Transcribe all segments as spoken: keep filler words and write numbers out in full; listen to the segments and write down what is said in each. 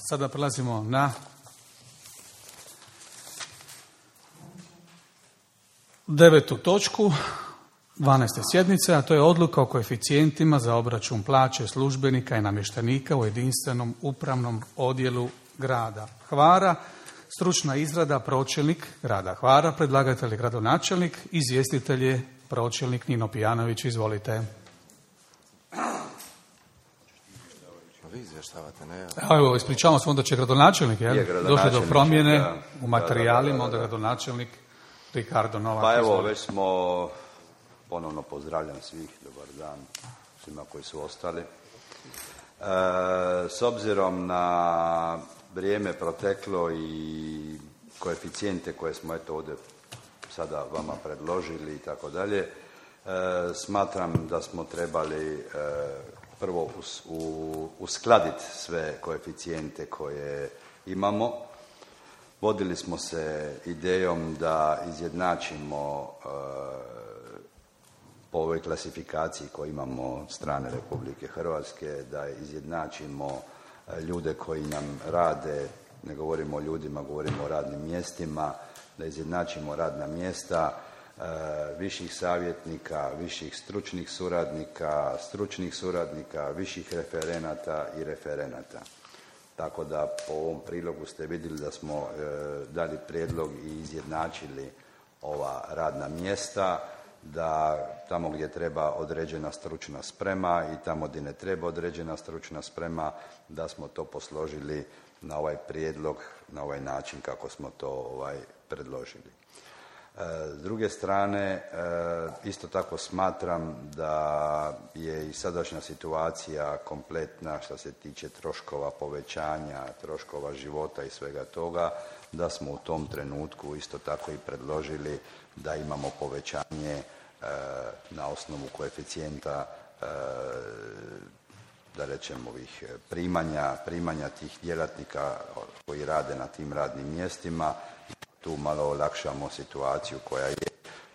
Sada prelazimo na devetu točku dvanaeste sjednice, a to je odluka o koeficijentima za obračun plaće službenika i namještenika u jedinstvenom upravnom odjelu grada Hvara. Stručna izrada pročelnik grada Hvara, predlagatelj je gradonačelnik, izvjestitelj je pročelnik Nino Pijanović. Izvolite. Vi izvještavate, ne? Evo, ispričavamo se, onda će gradonačelnik, jel? Je gradonačelnik, došli do promjene da, u materijalima, da, da, da, onda da. gradonačelnik Ricardo Novak. Pa evo, izvolite. već smo, ponovno pozdravljam svih, dobar dan svima koji su ostali. E, s obzirom na vrijeme proteklo i koeficijente koje smo eto ovdje sada vama predložili i tako dalje, e, smatram da smo trebali e, prvo us, u, uskladiti sve koeficijente koje imamo. Vodili smo se idejom da izjednačimo e, po ovoj klasifikaciji koju imamo od strane Republike Hrvatske, da izjednačimo ljude koji nam rade, ne govorimo o ljudima, govorimo o radnim mjestima, da izjednačimo radna mjesta e, viših savjetnika, viših stručnih suradnika, stručnih suradnika, viših referenata i referenata. Tako da po ovom prilogu ste vidjeli da smo e, dali prijedlog i izjednačili ova radna mjesta, da tamo gdje treba određena stručna sprema i tamo gdje ne treba određena stručna sprema, da smo to posložili na ovaj prijedlog, na ovaj način kako smo to ovaj, predložili. S druge strane, isto tako smatram da je i sadašnja situacija kompletna što se tiče troškova povećanja, troškova života i svega toga, da smo u tom trenutku isto tako i predložili da imamo povećanje na osnovu koeficijenta, da rečemo ovih primanja, primanja tih djelatnika koji rade na tim radnim mjestima. Tu malo olakšamo situaciju koja je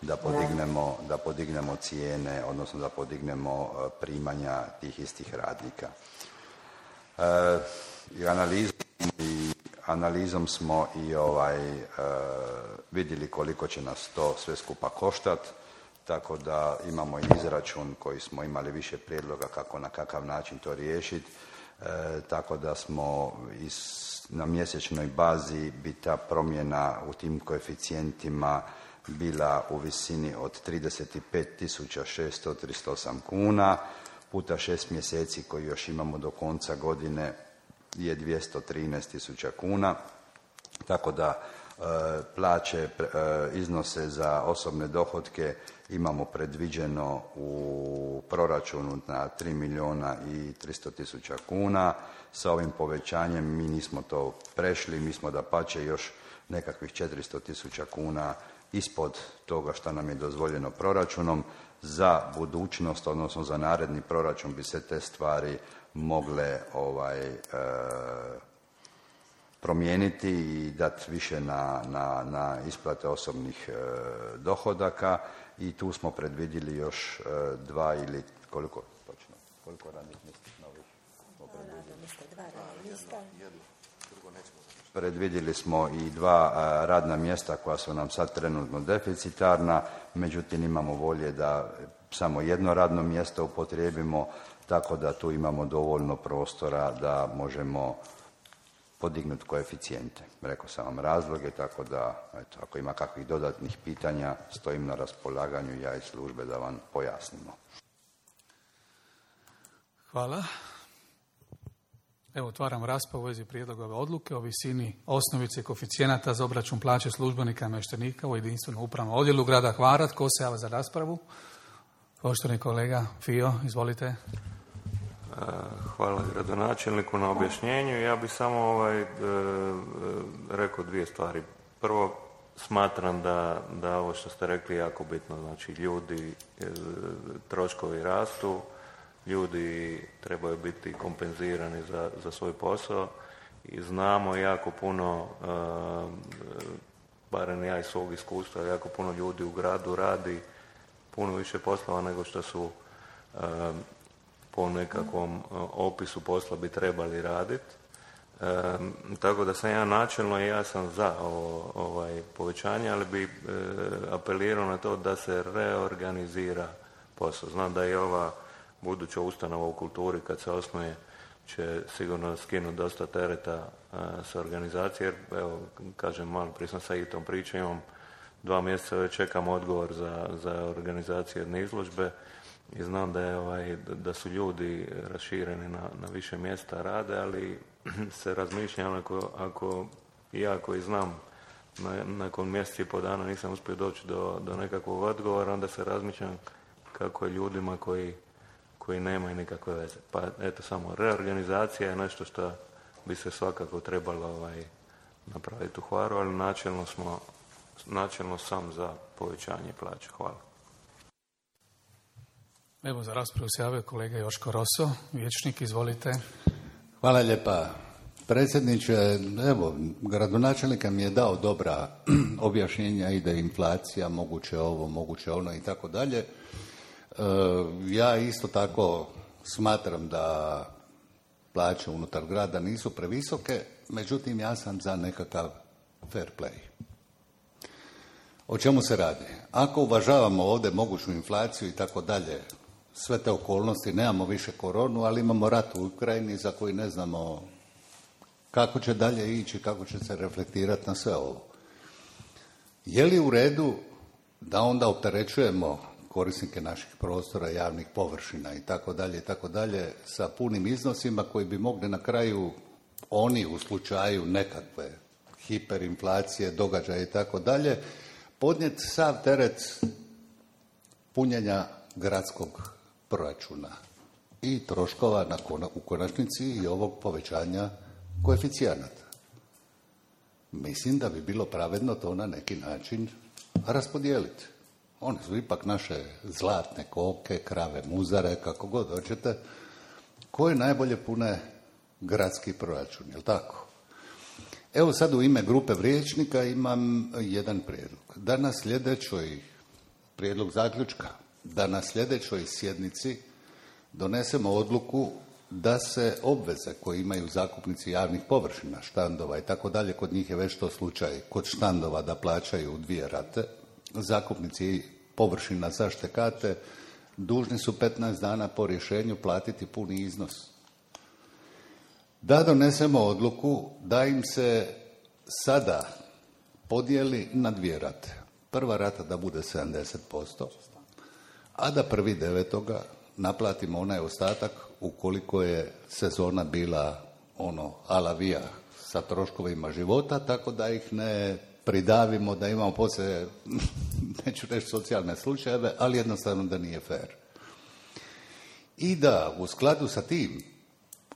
da podignemo, da podignemo cijene, odnosno da podignemo primanja tih istih radnika. E, i, analizom, i analizom smo i ovaj, e, vidjeli koliko će nas to sve skupa koštati, tako da imamo i izračun koji smo imali više prijedloga kako na kakav način to riješiti, e, tako da smo iz na mjesečnoj bazi bi ta promjena u tim koeficijentima bila u visini od trideset pet tisuća šesto trideset osam kuna, puta šest mjeseci koji još imamo do konca godine je dvjesto trinaest tisuća kuna, tako da e, plaće, e, iznose za osobne dohotke imamo predviđeno u proračunu na tri milijuna i tristo tisuća kuna. Sa ovim povećanjem mi nismo to prešli, mi smo dapače još nekakvih četiristo tisuća kuna ispod toga što nam je dozvoljeno proračunom. Za budućnost, odnosno za naredni proračun bi se te stvari mogle ovaj, e, promijeniti i dati više na, na, na isplate osobnih e, dohodaka i tu smo predvidjeli još e, dva ili koliko točno, koliko radnih mjesta novih smo predvidjeli? Predvidjeli smo i dva a, radna mjesta koja su nam sad trenutno deficitarna, međutim imamo volje da samo jedno radno mjesto upotrijebimo, tako da tu imamo dovoljno prostora da možemo podignuti koeficijente. Rekao sam vam razloge, tako da eto, ako ima kakvih dodatnih pitanja, stojim na raspolaganju ja i službe da vam pojasnimo. Hvala. Evo, otvaram raspravu u vezi prijedloga ove odluke o visini osnovice koeficijenata za obračun plaće službenika i namještenika u jedinstvenom upravnom odjelu grada Hvara. Tko se javlja za raspravu? Poštovani kolega Fio, izvolite. Hvala gradonačelniku na objašnjenju. Ja bih samo ovaj, e, rekao dvije stvari. Prvo, smatram da, da ovo što ste rekli je jako bitno. Znači, ljudi, e, troškovi rastu, ljudi trebaju biti kompenzirani za, za svoj posao i znamo jako puno, e, barem ja iz svog iskustva, jako puno ljudi u gradu radi puno više poslova nego što su e, po nekakvom opisu posla bi trebali raditi. E, tako da sam ja načelno i ja sam za ovo, ovaj, povećanje, ali bi e, apelirao na to da se reorganizira posao. Znam da je ova buduća ustanova u kulturi kad se osnuje će sigurno skinuti dosta tereta a, sa organizacije, jer evo, kažem, malo prije sam sa i tom pričom, imam dva mjeseca već čekam odgovor za, za organizaciju jedne izložbe i znam da, je, ovaj, da su ljudi rašireni na, na više mjesta rade, ali se razmišljam ako, ako ja koji znam na, nakon mjeseci i po dana nisam uspio doći do, do nekakvog odgovora, onda se razmišljam kako je ljudima koji koji nemaju nikakve veze. Pa eto, samo reorganizacija je nešto što bi se svakako trebalo ovaj, napraviti u Hvaru, ali načelno smo, načelno sam za povećanje plaća. Hvala. Evo, za raspravu se javio kolega Joško Roso, vijećnik, izvolite. Hvala lijepa. Predsjedniče, evo, gradonačelnika mi je dao dobra objašnjenja, ide inflacija, moguće ovo, moguće ono i tako dalje. Ja isto tako smatram da plaće unutar grada nisu previsoke, međutim ja sam za nekakav fair play. O čemu se radi? Ako uvažavamo ovdje moguću inflaciju i tako dalje, sve te okolnosti, nemamo više koronu, ali imamo rat u Ukrajini za koji ne znamo kako će dalje ići, kako će se reflektirati na sve ovo. Je li u redu da onda opterećujemo korisnike naših prostora, javnih površina i tako dalje i tako dalje sa punim iznosima koji bi mogli na kraju oni u slučaju nekakve hiperinflacije, događaja i tako dalje podnijeti sav teret punjenja gradskog proračuna i troškova na kona, u konačnici i ovog povećanja koeficijenata. Mislim da bi bilo pravedno to na neki način raspodijeliti. One su ipak naše zlatne koke, krave, muzare, kako god hoćete, koje najbolje pune gradski proračun, jel tako? Evo sad u ime grupe vijećnika imam jedan prijedlog. Da na sljedećoj, prijedlog zaključka, da na sljedećoj sjednici donesemo odluku da se obveze koje imaju zakupnici javnih površina, štandova i tako dalje, kod njih je već to slučaj, kod štandova da plaćaju u dvije rate, zakupnici površina za štekate dužni su petnaest dana po rješenju platiti puni iznos. Da donesemo odluku da im se sada podijeli na dvije rate. Prva rata da bude sedamdeset posto, a da prvi devetoga naplatimo onaj ostatak ukoliko je sezona bila ono alavija sa troškovima života, tako da ih ne pridavimo, da imamo poslije, neću reći socijalne slučajeve, ali jednostavno da nije fair. I da u skladu sa tim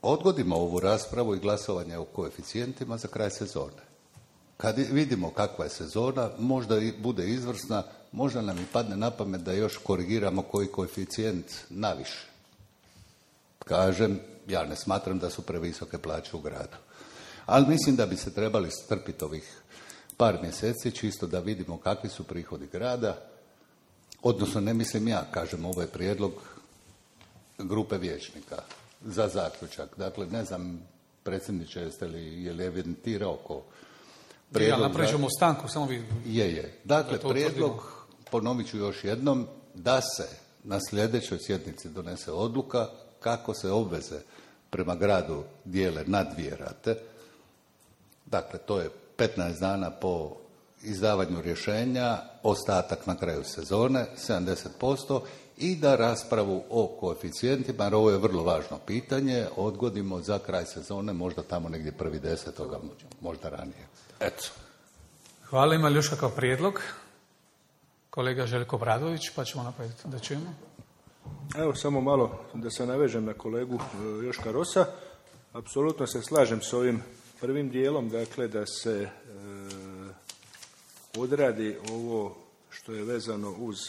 odgodimo ovu raspravu i glasovanje o koeficijentima za kraj sezone. Kad vidimo kakva je sezona, možda i bude izvrsna, možda nam i padne na pamet da još korigiramo koji koeficijent naviše. Kažem, ja ne smatram da su previsoke plaće u gradu. Ali mislim da bi se trebali strpiti ovih par mjeseci, čisto da vidimo kakvi su prihodi grada, odnosno ne mislim ja, kažem, ovo je prijedlog grupe vijećnika za zaključak. Dakle, ne znam, predsjedniče, jeste li, je li evidentirao oko prijedlog... Ja, napravit ćemo stanku, samo vi... Je, je. Dakle, prijedlog, ponovit ću još jednom, da se na sljedećoj sjednici donese odluka kako se obveze prema gradu dijele na dvije rate. Dakle, to je petnaest dana po izdavanju rješenja, ostatak na kraju sezone, sedamdeset posto, i da raspravu o koeficijentima, jer ovo je vrlo važno pitanje, odgodimo za kraj sezone, možda tamo negdje prvi desetoga, možda ranije. Eto. Hvala, ima li još kakav prijedlog? Kolega Željko Bradović, pa ćemo napraviti da čujemo. Evo, samo malo da se navežem na kolegu Joška Rosa. Apsolutno se slažem s ovim prvim dijelom, dakle da se e, odradi ovo što je vezano uz e,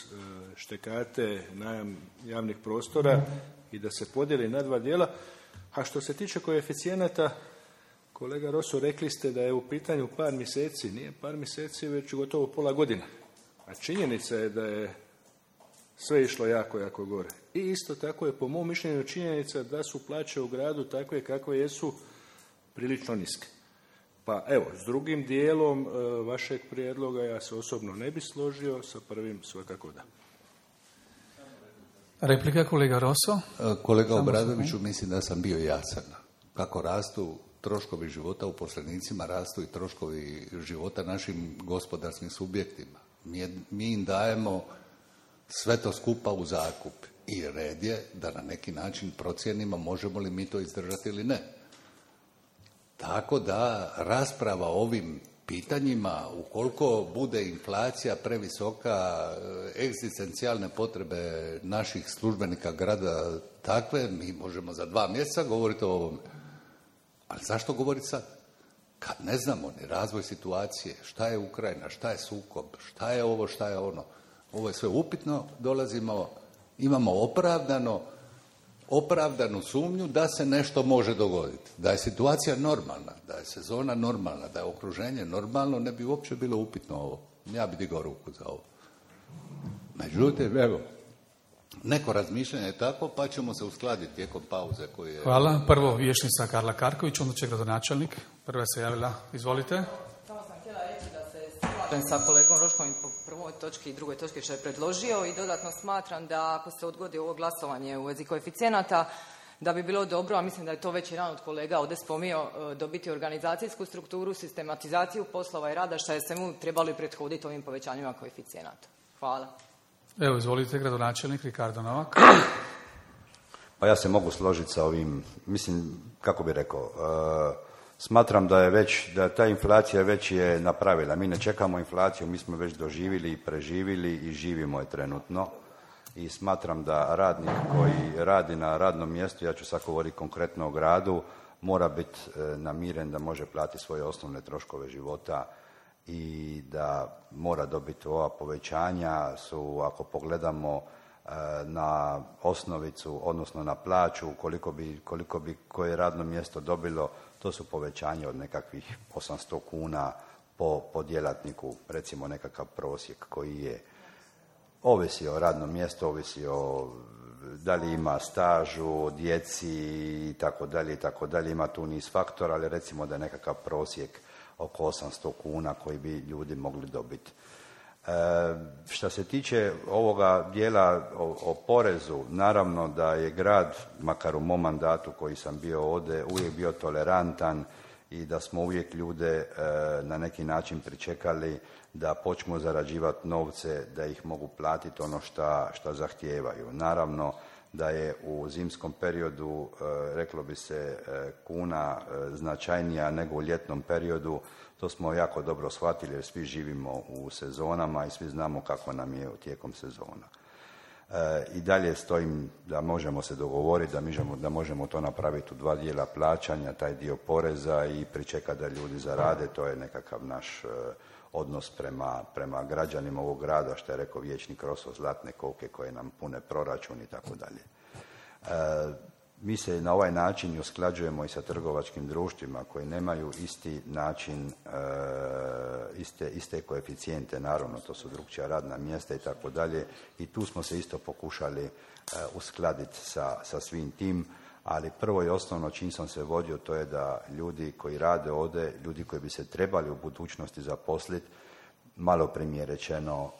štekate, najam javnih prostora i da se podijeli na dva dijela. A što se tiče koeficijenata, kolega Roso, rekli ste da je u pitanju par mjeseci. Nije par mjeseci, već gotovo pola godine. A činjenica je da je sve išlo jako, jako gore. I isto tako je po mom mišljenju činjenica da su plaće u gradu takve kakve jesu prilično niske. Pa evo, s drugim dijelom e, vašeg prijedloga ja se osobno ne bi složio, sa prvim svakako da. Replika kolega Rosso. Kolega Obradoviću, mislim da sam bio jasan. Kako rastu troškovi života uposlenicima, rastu i troškovi života našim gospodarskim subjektima. Mi, mi im dajemo sve to skupa u zakup i red je da na neki način procijenimo možemo li mi to izdržati ili ne. Tako da rasprava o ovim pitanjima, ukoliko bude inflacija previsoka, egzistencijalne potrebe naših službenika grada takve, mi možemo za dva mjeseca govoriti o ovome. Ali zašto govoriti sad? Kad ne znamo ni razvoj situacije, šta je Ukrajina, šta je sukob, šta je ovo, šta je ono. Ovo je sve upitno, dolazimo, imamo opravdano, opravdanu sumnju da se nešto može dogoditi. Da je situacija normalna, da je sezona normalna, da je okruženje normalno, ne bi uopće bilo upitno ovo. Ja bi digao ruku za ovo. Međutim, evo, neko razmišljanje je tako, pa ćemo se uskladiti tijekom pauze koji je... Hvala. Prvo vješnica Karla Karković, onda će gradonačelnik. Prva se javila. Izvolite. Samo sam htjela reći da se slažem sa kolegom Roškom po prvoj točki i drugoj točki što je predložio i dodatno smatram da ako se odgodi ovo glasovanje u vezi koeficijenata, da bi bilo dobro, a mislim da je to već jedan od kolega ovdje spomio, dobiti organizacijsku strukturu, sistematizaciju poslova i rada, što je svemu trebali prethoditi ovim povećanjima koeficijenata. Hvala. Evo, izvolite, gradonačelnik Ricardo Novak. Pa ja se mogu složiti sa ovim, mislim, kako bi rekao, uh, smatram da je već, da ta inflacija već je napravila. Mi ne čekamo inflaciju, mi smo već doživjeli i preživjeli i živimo je trenutno. I smatram da radnik koji radi na radnom mjestu, ja ću sad govoriti konkretno o gradu, mora biti uh, namiren da može platiti svoje osnovne troškove života i da mora dobiti ova povećanja su, ako pogledamo na osnovicu, odnosno na plaću, koliko bi, koliko bi koje radno mjesto dobilo, to su povećanje od nekakvih osamsto kuna po, po djelatniku, recimo nekakav prosjek koji je. Ovisi o radnom mjestu, ovisi o da li ima stažu, djeci i tako dalje i tako dalje, ima tu niz faktora, ali recimo da je nekakav prosjek oko osamsto kuna koji bi ljudi mogli dobiti. E, što se tiče ovoga dijela o, o porezu, naravno da je grad, makar u mom mandatu koji sam bio ovdje, uvijek bio tolerantan i da smo uvijek ljude e, na neki način pričekali da počnu zarađivati novce, da ih mogu platiti ono šta, šta zahtijevaju. Naravno da je u zimskom periodu, e, reklo bi se, e, kuna e, značajnija nego u ljetnom periodu. To smo jako dobro shvatili jer svi živimo u sezonama i svi znamo kako nam je tijekom sezona. E, I dalje stojim da možemo se dogovoriti, da, možemo, da možemo to napraviti u dva dijela plaćanja, taj dio poreza i pričekati da ljudi zarade. To je nekakav naš e, odnos prema, prema građanima ovog grada, što je rekao vijećnik Rosso, zlatne koke koje nam pune proračun i tako dalje. Mi se na ovaj način usklađujemo i sa trgovačkim društvima koji nemaju isti način, e, iste, iste koeficijente, naravno to su drukčija radna mjesta i tako dalje i tu smo se isto pokušali e, uskladiti sa, sa svim tim, ali prvo i osnovno čim sam se vodio to je da ljudi koji rade ovdje, ljudi koji bi se trebali u budućnosti zaposliti, malo primjer rečeno,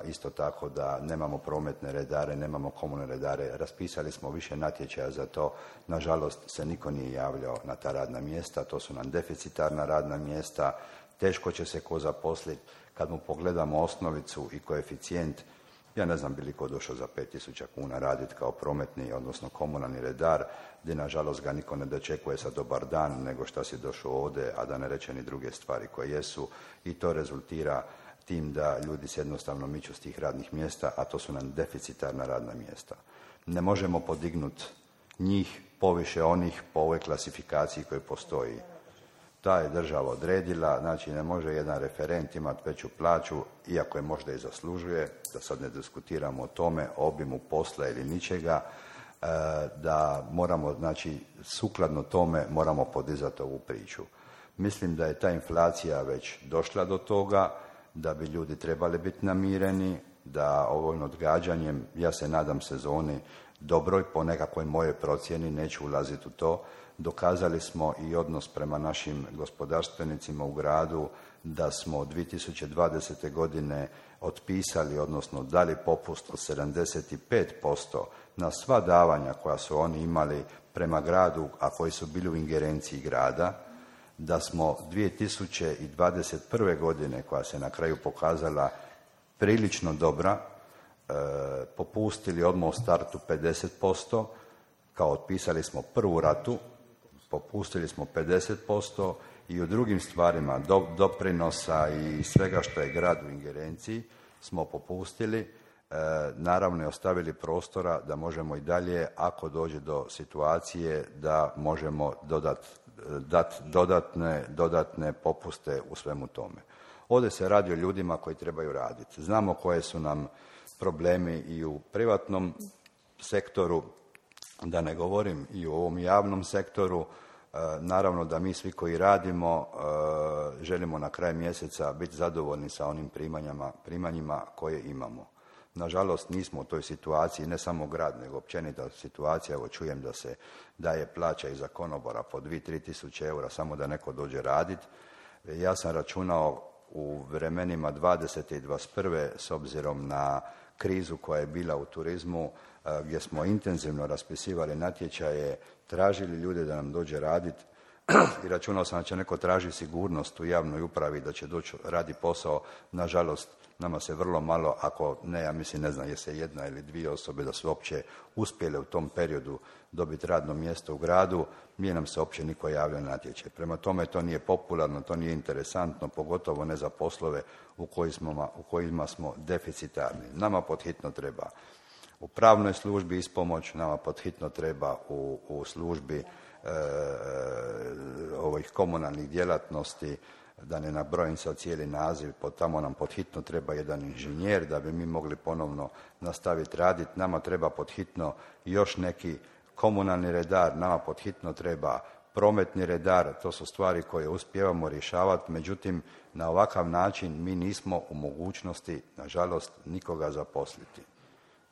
isto tako da nemamo prometne redare, nemamo komunalne redare. Raspisali smo više natječaja za to. Nažalost se niko nije javljao na ta radna mjesta. To su nam deficitarna radna mjesta. Teško će se ko zaposliti. Kad mu pogledamo osnovicu i koeficijent, ja ne znam bi li ko došao za pet tisuća kuna raditi kao prometni, odnosno komunalni redar, gdje nažalost ga niko ne dočekuje sa dobar dan, nego šta si došao ovdje, a da ne reče ni druge stvari koje jesu. I to rezultira tim da ljudi se jednostavno miču s tih radnih mjesta, a to su nam deficitarna radna mjesta. Ne možemo podignuti njih poviše onih po ovoj klasifikaciji koji postoji. Ta je država odredila, znači ne može jedan referent imati veću plaću, iako je možda i zaslužuje, da sad ne diskutiramo o tome, obimu posla ili ničega, da moramo, znači, sukladno tome moramo podizati ovu priču. Mislim da je ta inflacija već došla do toga, da bi ljudi trebali biti namireni, da ovim odgađanjem, ja se nadam sezoni, dobroj, po nekakvoj mojoj procjeni, neću ulaziti u to. Dokazali smo i odnos prema našim gospodarstvenicima u gradu, da smo dvije tisuće dvadesete. godine otpisali, odnosno dali popust od sedamdeset pet posto na sva davanja koja su oni imali prema gradu, a koji su bili u ingerenciji grada, da smo dvije tisuće dvadeset prve. godine, koja se na kraju pokazala prilično dobra, e, popustili odmah u startu pedeset posto, kao otpisali smo prvu ratu, popustili smo pedeset posto i u drugim stvarima do, doprinosa i svega što je grad u ingerenciji smo popustili, e, naravno i ostavili prostora da možemo i dalje, ako dođe do situacije, da možemo dodat, dat dodatne, dodatne popuste u svemu tome. Ovdje se radi o ljudima koji trebaju raditi. Znamo koje su nam problemi i u privatnom sektoru, da ne govorim i u ovom javnom sektoru. Naravno da mi svi koji radimo želimo na kraju mjeseca biti zadovoljni sa onim primanjima, primanjima koje imamo. Nažalost, nismo u toj situaciji, ne samo grad, nego općenita situacija. Evo, čujem da se daje plaća i za konobora po dvije do tri tisuće eura samo da neko dođe raditi. Ja sam računao u vremenima dvadesete i dvadeset prve s obzirom na krizu koja je bila u turizmu, gdje smo intenzivno raspisivali natječaje, tražili ljude da nam dođe raditi i računao sam da će neko traži sigurnost u javnoj upravi, da će doći radi posao. Nažalost, nama se vrlo malo, ako ne, ja mislim, ne znam, je se jedna ili dvije osobe da su uopće uspjele u tom periodu dobiti radno mjesto u gradu, nije nam se uopće niko javio na natječaj. Prema tome, to nije popularno, to nije interesantno, pogotovo ne za poslove u kojima, u kojima smo deficitarni. Nama podhitno treba u pravnoj službi ispomoć, nama podhitno treba u, u službi e, ovih komunalnih djelatnosti, da ne nabrojim sad cijeli naziv, pod tamo nam podhitno treba jedan inženjer da bi mi mogli ponovno nastaviti raditi. Nama treba podhitno još neki komunalni redar, nama podhitno treba prometni redar. To su stvari koje uspijevamo rješavati, međutim na ovakav način mi nismo u mogućnosti, nažalost, nikoga zaposliti.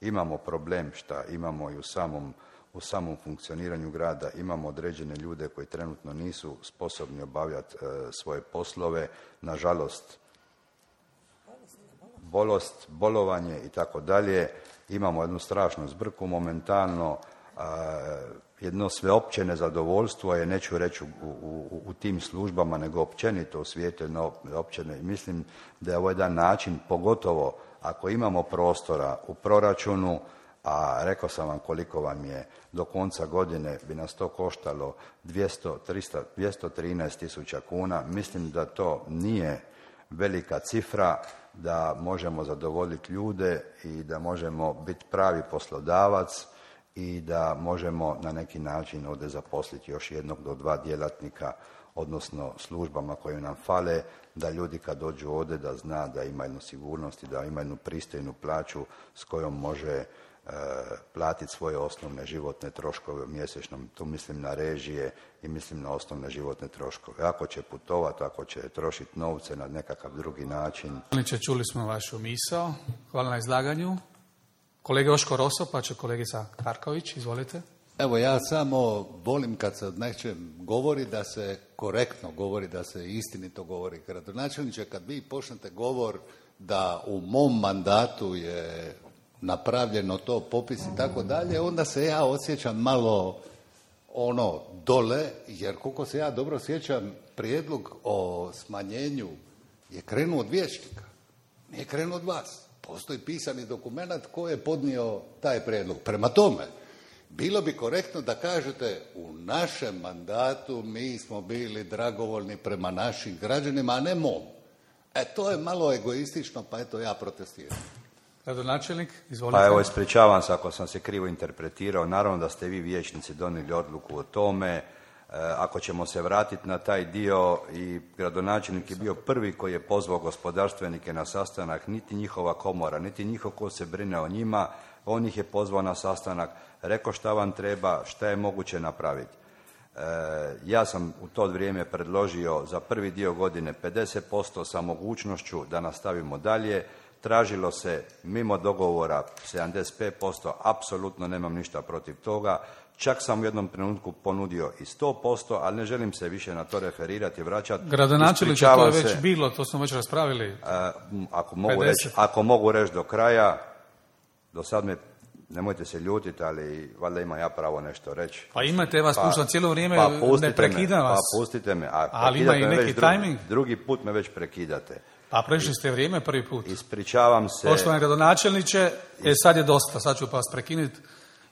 Imamo problem šta imamo i u samom, u samom funkcioniranju grada, imamo određene ljude koji trenutno nisu sposobni obavljati e, svoje poslove, nažalost bolost, bolovanje i tako dalje. Imamo jednu strašnu zbrku momentalno, a, jedno sveopće nezadovoljstvo je, neću reći u, u, u tim službama, nego općenito u svijetu, no, općene. Mislim da je ovo jedan način, pogotovo ako imamo prostora u proračunu, a rekao sam vam koliko vam je do konca godine, bi nas to koštalo dvjesto, trista, dvjesto trinaest tisuća kuna. Mislim da to nije velika cifra, da možemo zadovoljiti ljude i da možemo biti pravi poslodavac i da možemo na neki način ovdje zaposliti još jednog do dva djelatnika, odnosno službama koje nam fale, da ljudi kad dođu ovdje da zna da ima jednu sigurnost i da ima jednu pristojnu plaću s kojom može e, platiti svoje osnovne životne troškove u mjesečnom. Tu mislim na režije i mislim na osnovne životne troškove. Ako će putovati, ako će trošiti novce na nekakav drugi način. Čuli smo vašu misao. Hvala na izlaganju. Kolega Joško Roso, pa će kolegica Karković, izvolite. Evo, ja samo volim kad se od nečem govori da se korektno govori, da se istinito govori. Gradonačelniče, kad vi počnete govor da u mom mandatu je napravljeno to, popis i tako dalje, onda se ja osjećam malo ono dole, jer koliko se ja dobro sjećam, prijedlog o smanjenju je krenuo od vijećnika, nije krenuo od vas. Postoji pisani dokument koji je podnio taj prijedlog. Prema tome, bilo bi korektno da kažete u našem mandatu mi smo bili dragovoljni prema našim građanima, a ne mom. E, to je malo egoistično, pa eto ja protestiram. Gradonačelnik, izvolite. Pa evo, ispričavam se ako sam se krivo interpretirao. Naravno da ste vi vijećnici donijeli odluku o tome. E, ako ćemo se vratiti na taj dio, i gradonačelnik je bio prvi koji je pozvao gospodarstvenike na sastanak, niti njihova komora, niti njihov ko se brine o njima, on ih je pozvao na sastanak, rekao šta vam treba, šta je moguće napraviti. E, ja sam u to vrijeme predložio za prvi dio godine pedeset posto sa mogućnošću da nastavimo dalje. tražilo se mimo dogovora sedamdeset pet posto, apsolutno nemam ništa protiv toga. Čak sam u jednom trenutku ponudio i sto posto, ali ne želim se više na to referirati i vraćati. Gradonačelniče, to je već se, bilo, to smo već raspravili. A, ako, mogu reći, ako mogu reći do kraja, do sad me, nemojte se ljutiti, ali valjda imam ja pravo nešto reći. Pa imate, vas pa, puštam cijelo vrijeme, pa ne prekidam vas. Pa pustite me, a ali ima i neki tajming. Drugi, drugi put me već prekidate. Pa prešli ste vrijeme prvi put. Ispričavam se. Poštovani gradonačelniče, e, sad je dosta, sad ću pa vas prekinuti,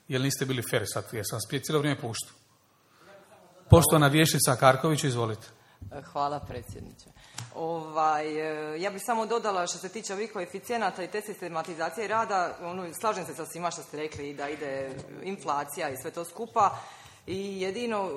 jer niste bili fer, sad jer sam vas cijelo vrijeme puštao. Poštovana vijećnica Karković, izvolite. Hvala predsjedniče. Ovaj, ja bih samo dodala što se tiče ovih koeficijenata i te sistematizacije rada, ono, slažem se sa svima što ste rekli da ide inflacija i sve to skupa. I jedino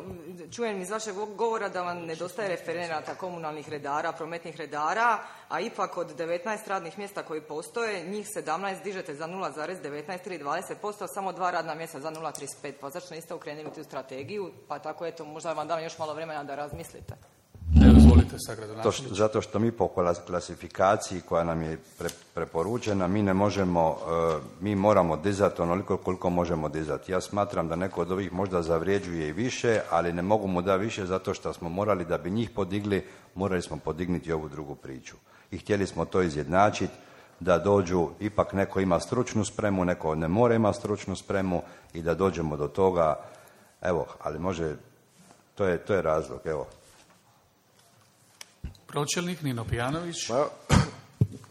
čujem iz vašeg govora da vam nedostaje referenata komunalnih redara, prometnih redara, a ipak od devetnaest radnih mjesta koji postoje, njih sedamnaest dižete za nula zarez devetnaest tri dvadeset posto, a samo dva radna mjesta za nula zarez trideset pet. Pa zašto niste okrenuli tu strategiju? Pa tako eto, možda vam dam još malo vremena da razmislite. Evo, izvolite sa gradonačelniče. Zato što mi po klasifikaciji koja nam je pre, preporučena, mi ne možemo, uh, mi moramo dizati onoliko koliko možemo dizati. Ja smatram da neko od ovih možda zavrijeđuje i više, ali ne mogu mu da više zato što smo morali, da bi njih podigli, morali smo podignuti ovu drugu priču. I htjeli smo to izjednačiti, da dođu, ipak neko ima stručnu spremu, neko ne mora ima stručnu spremu i da dođemo do toga, evo, ali može, to je, to je razlog, evo. Pročelnik Nino Pijanović. Pa,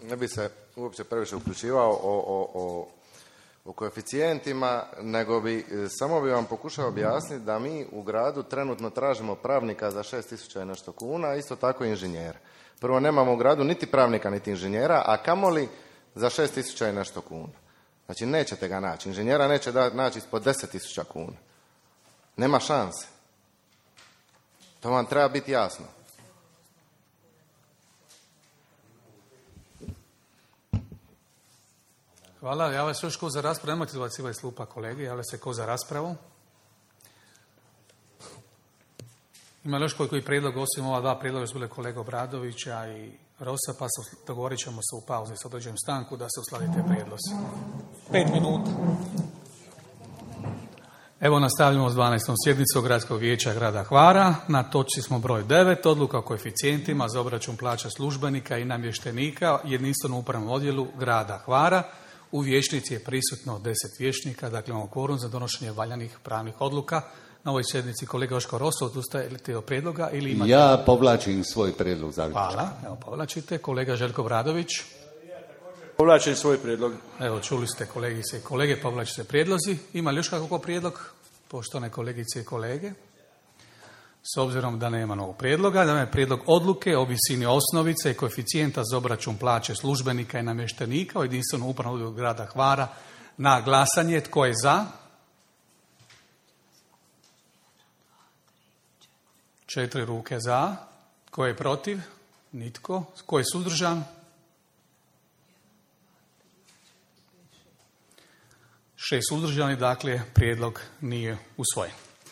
ne bi se uopće previše uključivao o, o, o, o koeficijentima, nego bi, samo bi vam pokušao objasniti da mi u gradu trenutno tražimo pravnika za šest tisuća i nešto kuna, isto tako i inženjera. Prvo, nemamo u gradu niti pravnika, niti inženjera, a kamoli za šest tisuća i nešto kuna. Znači, nećete ga naći. Inženjera neće da, naći ispod deset tisuća kuna. Nema šanse. To vam treba biti jasno. Hvala, javlja se još ko za raspravu, nemojte izbacivati slupa kolege, javlja se ko za raspravu. Ima li još koji, koji prijedlog, osim ova dva prijedloga, su bile kolega Obradovića i Rosa, pa se dogovorit ćemo se u pauzi sa određenom stanku da se uskladite prijedlozi. Pet minuta. Evo nastavljamo s dvanaestom sjednicom Gradskog vijeća grada Hvara. Na točci smo broj devet, odluka o koeficijentima za obračun plaća službenika i namještenika jedinstvenom upravnom odjelu grada Hvara. U vijećnici je prisutno deset vijećnika, dakle imamo kvorum za donošenje valjanih pravnih odluka. Na ovoj sjednici kolega Joško Roso, odustajete od prijedloga ili imate? Ja povlačim svoj prijedlog zaključka. Hvala, evo povlačite. Kolega Željko Bradović. Povlačim svoj prijedlog. Evo, čuli ste kolegice i kolege, povlačite prijedlozi. Ima li još kakvog prijedlog, poštovane kolegice i kolege? S obzirom da nema novog prijedloga, da je prijedlog odluke o visini osnovice i koeficijenta za obračun plaće službenika i namještenika u jedinstvenom upravnom odjelu grada Hvara na glasanje. Tko je za? Četiri ruke za. Tko je protiv? Nitko. Tko je suzdržan? Šest suzdržani, dakle prijedlog nije usvojen.